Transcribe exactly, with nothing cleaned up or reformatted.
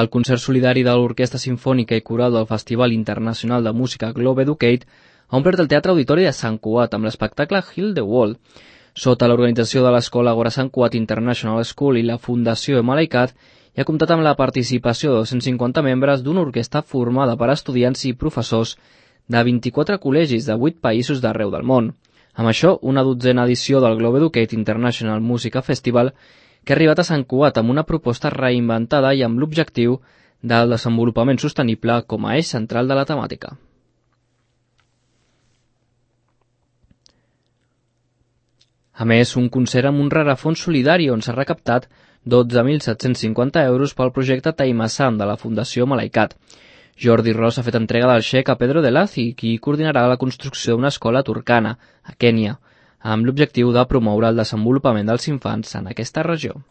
El concert solidari de l'Orquestra Simfònica i Coral del Festival Internacional de Música Globe Educate ha omplert el Teatre Auditori de Sant Cugat amb l'espectacle Heal the World. Sota l'organització de l'Escola Agora Sant Cugat International School i la Fundació Malaikat, i ha comptat amb la participació de dos-cents cinquanta membres d'una orquestra formada per estudiants i professors de vint-i-quatre col·legis de vuit països d'arreu del món. Amb això, una dotzena edició del Globe Educate International Music Festival que ha arribat a Sant Cugat amb una proposta reinventada i amb l'objectiu del desenvolupament sostenible com a eix central de la temàtica. A més, un concert amb un rarefons solidari on s'ha recaptat dotze mil set-cents cinquanta euros pel projecte Taimasan de la Fundació Malaikat. Jordi Ros ha fet entrega del xec a Pedro de Lazi, qui coordinarà la construcció d'una escola turcana, a Kènia, amb l'objectiu de promoure el desenvolupament dels infants en aquesta regió.